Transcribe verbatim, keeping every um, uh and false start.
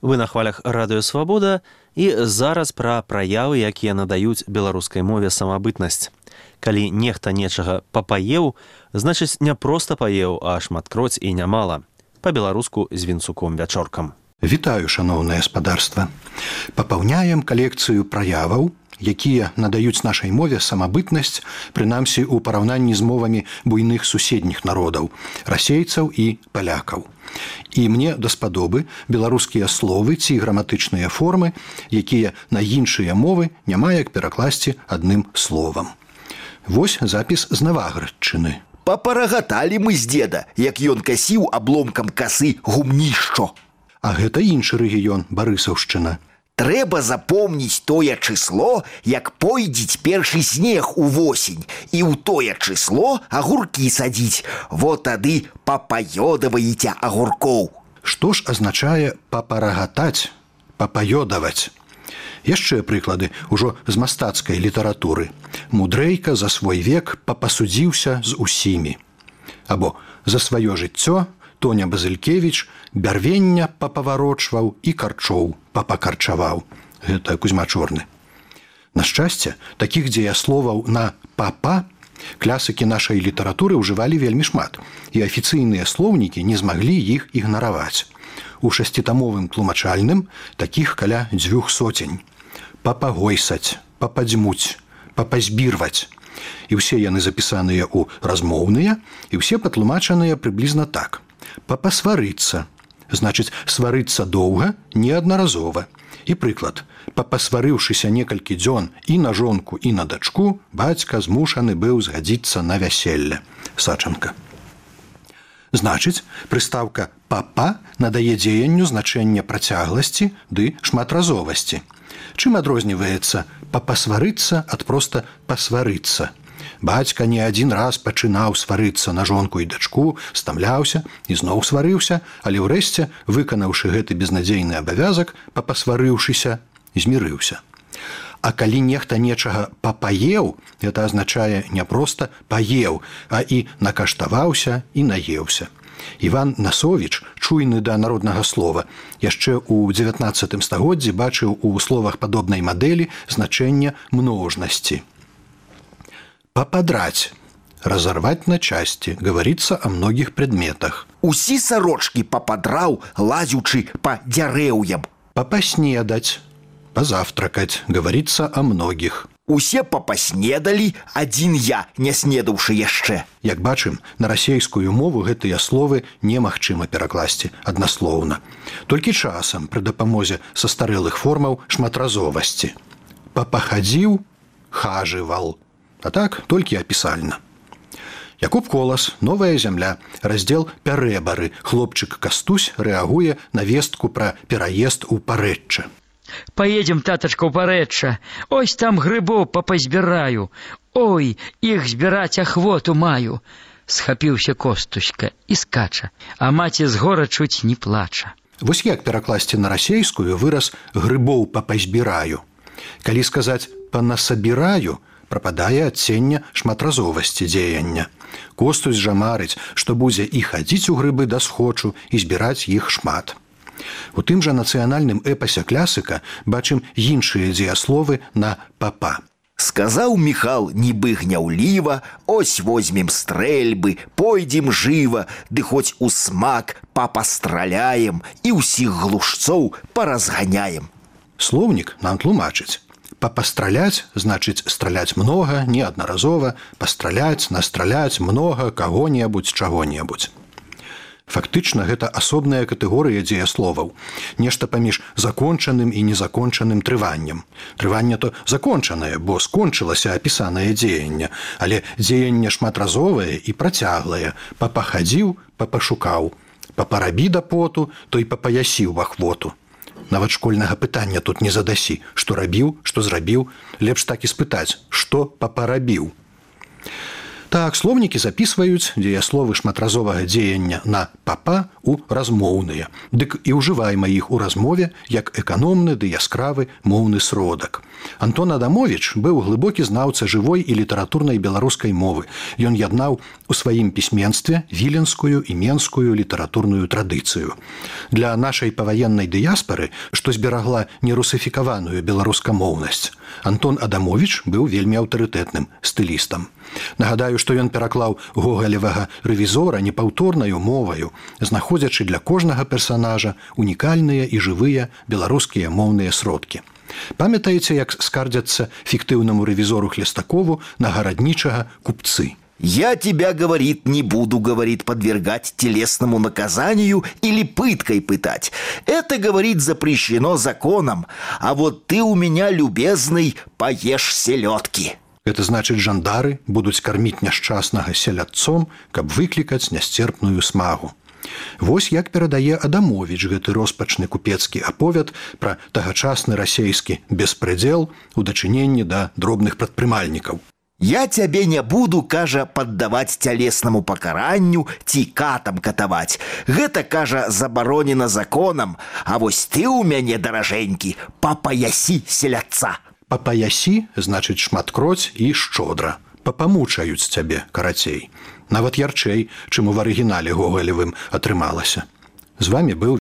Вы на хвалях радыё Свабода і зараз пра праявы, якія надаюць беларускай мове самабытнасць. Калі нехта нечага папаеў, значыць не проста паеў, а шматкроць і нямала. Па-беларуску з вінцуком-вячоркам. Вітаю, шаноўнае гаспадарства. Папаўняем калекцыю праяваў, якія надаюць нашай мове самабытнасць, прынамсі ў параўнанні з мовамі буйных суседніх народаў, расейцаў і палякаў. І мне даспадобы беларускія словы ці граматычныя формы, якія на іншыя мовы няма як перакласці адным словам. Вось запіс з Наваградчыны. Папарагаталі мы з деда, як ён касіў абломкам касы гумнішчо. А гэта іншы рэгіён, Барысаўшчына. Трэба запомніць тое чысло, як пойдзець першы снег у восень, і ў тое чысло агуркі садзіць. Во тады папаёдаваеце агуркоў. Што ж азначае папарагатаць, папаёдаваць? Яшчэ прыклады ўжо з мастацкай літаратуры. Мудрэйка за свой век папасудзіўся з усімі. Або за сваё жыццё Тоня Базылькевіч бярвення папаварочваў і карчоў папакарчаваў. Гэта Кузьма Чорны. На шчасце, такіх дзеясловаў на папа клясыкі нашай літаратуры ўжывалі вельмі шмат, і афіцыйныя слоўнікі не змаглі іх ігнараваць. У шасцітамовым тлумачальным такіх каля дзвюх соцень. Папагойсаць, пападзьмуць, папазбірваць. І ўсе яны запісаныя ў размоўныя, і ўсе патлумачаныя прыблізна так. Папасварыцца, значыць, сварыцца доўга, неаднаразова. І прыклад. Папасварыўшыся некалькі дзён і на жонку, і на дачку, бацька змушаны быў згадзіцца на вяселле. Сачанка. Значыць, прыстаўка «папа» надае дзеянню значэнне працягласці ды шматразовасці. Чым адрозніваецца «папасварыцца» ад проста «пасварыцца»? Бацька не адзін раз пачынаў сварыцца на жонку і дачку, стамляўся і зноў сварыўся, але ўрэшце, выканаўшы гэты безнадзейны абавязак, папасварыўшыся, змірыўся. А калі нехта нечага папаеў, гэта азначае не проста паеў, а і накаштаваўся і наеўся. Іван Насовіч, чуйны да народнага слова, яшчэ ў дзевятнаццатым стагоддзі бачыў у словах падобнай мадэлі значэнне множнасці. Попадрать, разорвать на части, говорится о многих предметах. Усі сарочки попадраў, лазючы по дзярэўям. Попоснедать, позавтракать, говорится о многих. Усе попаснедалі, адзін я, не снедаўшы яшчэ. Як бачым, на расейскую мову гэтыя словы немагчыма перакласці аднаслоўна. Толькі часам пры дапамозе састарэлых формаў шматразовасці. Папахадзіў, хажывал. А так, толькі апісальна. Якуб Колас, «Новая зямля», раздзел «Пярэбары». Хлопчык Кастусь рэагуе на вестку пра пераезд у Парэчча. «Поедем, татачка, у Парэчча. Ось там грыбоў папазбіраю. Ой, іх збіраць ахвоту маю». Схапіўся Костуська і скача, а маці з гора чуць не плача. Вось як перакласці на расейскую выраз «грыбоў папазбіраю». Калі сказаць «панасабіраю», прападае адценне шматразовасці дзеяння. Костусь жа марыць, што будзе і хадзіць у грыбы да схочу і збіраць іх шмат. У тым жа нацыянальным эпасе клясыка бачым іншыя дзеясловы на папа. Сказаў Міхал нібы гняўліва, ось возьмем стрэльбы, пойдзем жыва, ды хоць у смак папастраляем і ўсіх глушцоў паразганяем. Слоўнік нам тлумачыць. Папастраляць значыць страляць многа, неаднаразова, пастраляць, настраляць многа каго-небудзь, чаго-небудзь. Фактычна гэта асобная катэгорыя дзеясловаў, нешта паміж закончаным і незакончаным трываннем. Трыванне то закончанае, бо скончылася апісанае дзеянне, але дзеянне шматразовае і працяглае. Папахадзіў, папашукаў, папарабі да поту, то і папаясіў ахвоту. Нават школьнага пытання тут не задасі, што рабіў, што зрабіў, лепш так і спытаць, што папарабіў. Так, слоўнікі запісваюць дзеясловы шматразовага дзеяння на папа у размоўныя. Дык і ўжываем іх у размове як эканомны ды яскравы моўны сродак. Антон Адамович быў глыбокі знаўца жывой і літаратурнай беларускай мовы. Ён яднаў у сваім пісьменстве віленскую і менскую літаратурную традыцыю. Для нашай паваеннай дыяспары, што зберагла нерусыфікаваную беларускамоўнасць, Антон Адамович быў вельмі аўтарытэтным стылістам. Нагадаю, што ён пераклаў гогалевага рэвізора непаўторнаю моваю, знаходзячы для кожнага персанажа унікальныя і жывыя беларускія моўныя сродкі. Памятаеце, як скардзяцца фіктыўнаму рэвізору Хлестакову на гараднічага купцы? «Я тебя, говорит, не буду, говорит, подвергать телесному наказанию или пыткой пытать. Это, говорит, запрещено законом, а вот ты у меня, любезный, поешь селедки». Это значыць, жандары будуць карміць няшчаснага селядцом, каб выклікаць нясцерпную смагу. Вось як перадае Адамович гэты роспачны купецкі аповед пра тагачасны расейскі беспредзел у дачыненні да дробных прадпрымальнікаў. «Я тебе не буду, кажа, поддавать телесному покаранню, ці катам катавать. Гэта, кажа, забаронено законом, а вось ты у мяне, даражэнькі, папаясі селядца». Папаясі значыць шматкроць і шчодра. Папамучаюць цябе, карацей. Нават ярчэй, чым у арыгінале гогалевым атрымалася. З вами быў